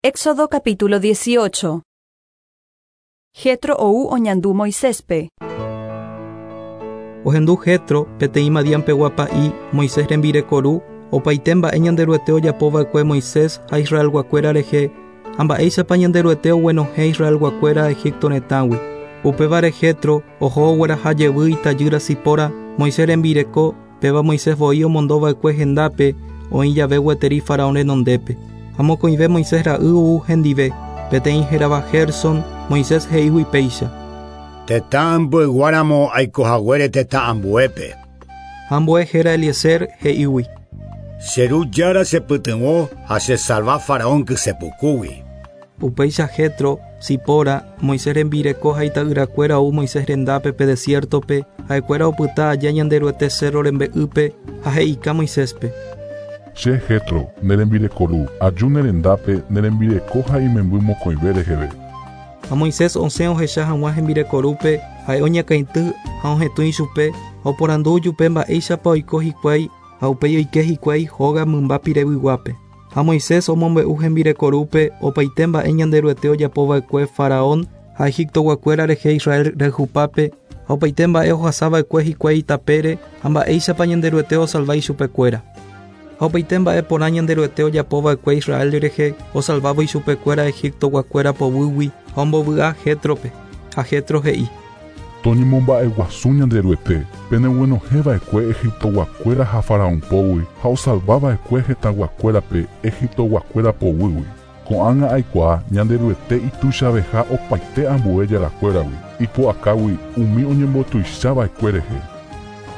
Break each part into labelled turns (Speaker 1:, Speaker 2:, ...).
Speaker 1: Éxodo capítulo 18. Jetro ou oñandu Moiséspe.
Speaker 2: Ohendu Jetro, peteĩ Madián pegua pa'i, Moisés rembireko ru, opaite mba'e Ñanderuete ojapova'ekue Moisés ha Israelguakuéra rehe, ha mba'éichapa Ñanderuete oguenohẽ Israelguakuéra Egipto retãgui. Upévare Jetro oho ogueraha jevy itajýra Sipora, Moisés rembireko, péva Moisés voi omondova'ekue hendápe oĩ jave gueteri Faraón renondépe. Ha mokõive Moisés ra'y ou hendive, peteĩ hérava Gerson, Moisés he'ígui péicha.
Speaker 3: Tetã ambueguáramo aikohaguére tetã ambuépe.
Speaker 2: Ha ambue héra Eliezer he'ígui.
Speaker 3: Che ru Jára chepytyvõ ha chesalva Faraón kysepukúgui.
Speaker 2: Upéicha Jetro, Sipora, Moisés rembireko ha ita'yrakuéra ou Moisés rendápe pe desiértope, ha'ekuéra opyta aja Ñanderuete cerro rembe'ýpe ha he'ika Moiséspe.
Speaker 4: Che Jetro, ne rembireko ru, aju ne rendápe ne rembireko ha imemby mokõive reheve.
Speaker 2: Ha Moisés osẽ ohecha hag̃ua hembireko rúpe, ha'e oñakãity ha ohetũ ichupe, ha oporandu ojupe mba'éichapa oiko hikuái ha upéi oike hikuái hóga mymba pirevyguápe. Ha Moisés omombe'u hembireko rúpe opaite mba'e Ñanderuete ojapova'ekue Faraón ha Egiptoguakuéra rehe Israel rayhupápe, ha opaite mba'e ohasava'ekue hikuái itapére ha mba'éichapa Ñanderuete osalva ichupekuéra. Ha opaite mba'e porã Ñanderuete ojapova'ekue Israel rehe osalvávo ichupekuéra Egiptoguakuéra poguýgui ha ombovy'a Jétrope. Ha Jetro he'i.
Speaker 4: Toñemomba'eguasu Ñanderuete, peneguenohẽva'ekue Egiptoguakuéra ha Faraón pógui ha osalvava'ekue hetãguakuérape Egiptoguakuéra poguýgui. Ko'ág̃a aikuaa Ñanderuete ituichaveha opaite ambue jarakuéragui, ipu'akágui umi oñembotuichava'ekue rehe.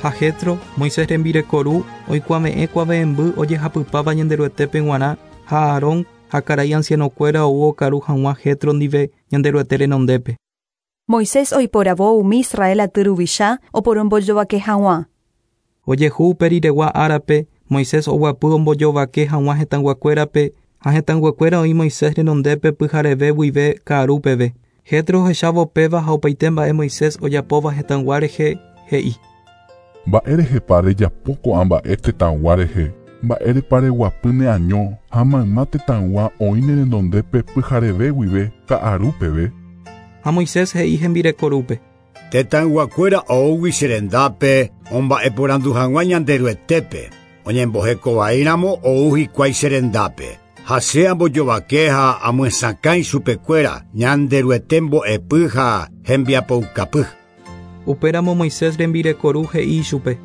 Speaker 2: Ha Jetro, Moisés rembireko ru, oikuave'ẽ kuave'ẽmby ojehapypáva Ñanderuetépe g̃uarã ha Aarón ha karai ancianokuéra ou okaru hag̃ua Jetro ndive Ñanderuete renondépe.
Speaker 1: Moisés oiporavo umi Israel aty ruvicha oporombojovake hag̃ua.
Speaker 2: Ojehu upe riregua árape, Moisés oguapy ombojovake hag̃ua hetãyguakuérape ha hetãyguakuéra oĩ Moisés renondépe pyhareve guive ka'aru peve. Jetro ohechávo péva ha opaite mba'e Moisés ojapóva hetãygua rehe, he'i.
Speaker 4: Mba'érehepa rejapo ko'ã mba'e tetãygua rehe? Mba'érepa reguapy neaño ha mayma tetãygua oĩ ne renondépe pyhareve guive ka'aru peve?
Speaker 2: Ha Moisés he'i hembireko rúpe.
Speaker 3: Tetãyguakuéra oúgui che rendápe omba'eporandu hag̃ua Ñanderuetépe, oñembohekovaíramo ou hikuái che rendápe. Ha che ambojovake ha amyesakã ichupekuéra Ñanderuete mbo'epy ha hembiapoukapy.
Speaker 2: Upéramo Moisés rembireko ru he'i ichupe.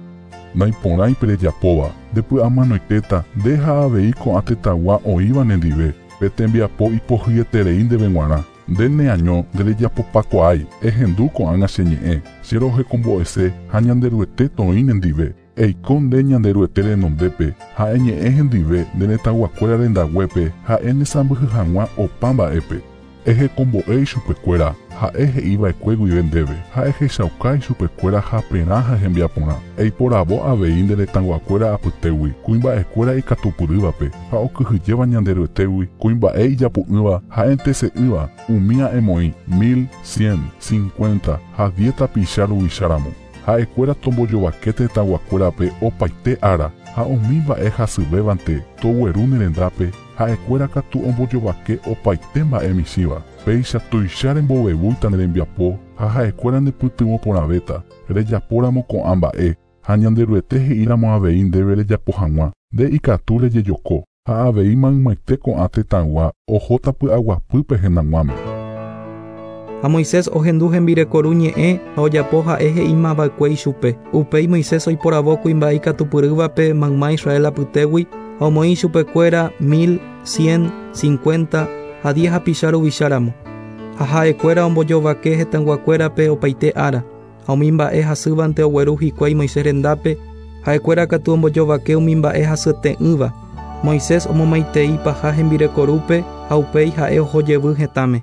Speaker 4: Naiporãipe rejapóva, ndepy'amanoitéta nde ha avei ko'ã tetãygua oĩva nendive, pe tembiapo ipohyeterei ndéve g̃uarã. Nde neaño nderejapopakuaái, ehendu ko'ág̃a che ñe'ẽ, che rohekombo'ese ha Ñanderuete toĩ nendive. Eiko nde Ñanderuete renondépe ha eñe'ẽ hendive nde retãyguakuéra rendaguépe ha'e nesãmbyhy hag̃ua opa mba'épe. Ehekombo'e ichupekuéra, ha'e he'iva'ekue guive ndéve, ha ehechauka ichupekuéra haperã ha hembiaporã. Eiporavo avei nde retãyguakuéra apytégui, kuimba'ekuéra ikatupyrývape ha okyhyjéva Ñanderuetégui, kuimba'e ijapu'ỹva ha entese'ỹva, umía emoĩ, mil, cien, cincuenta ha diez tapicha ruvicháramo. Ha'ekuéra tombojovake tetãyguakuérape opaite ára, ha umi mba'e hasyvévante togueru ne rendápe, ha'ekuéra katu ombojovake opaite mba'e michĩva. Péicha tuicha rembovevúita ne rembiapo ha ha'ekuéra nepytyvõ porãvéta, rejapóramo ko'ã mba'e, ha Ñanderuete he'íramo avei ndéve rejapo hag̃ua, nde ikatu rejejoko, ha avei maymaite ko'ã tetãygua ohóta py'aguapýpe hendag̃uáme.
Speaker 2: Ha Moisés ohendu hembireko ru ñe'ẽ ha ojapo ha'e he'imava'ekue ichupe. Upéi Moisés oiporavo kuimba'e ikatupyrývape mayma Israel apytégui ha omoĩ ichupekuéra mil, cien, cincuenta ha diez hapicha ruvicháramo. Ha ha'ekuéra ombojovake hetãyguakuérape opaite ára, ha umi mba'e hasývante ogueru hikuái Moisés rendápe, ha'ekuéra katu ombojovake umi mba'e hasyete'ỹva. Moisés omomaitei paha hembireko rúpe ha upéi ha'e oho jevy hetãme.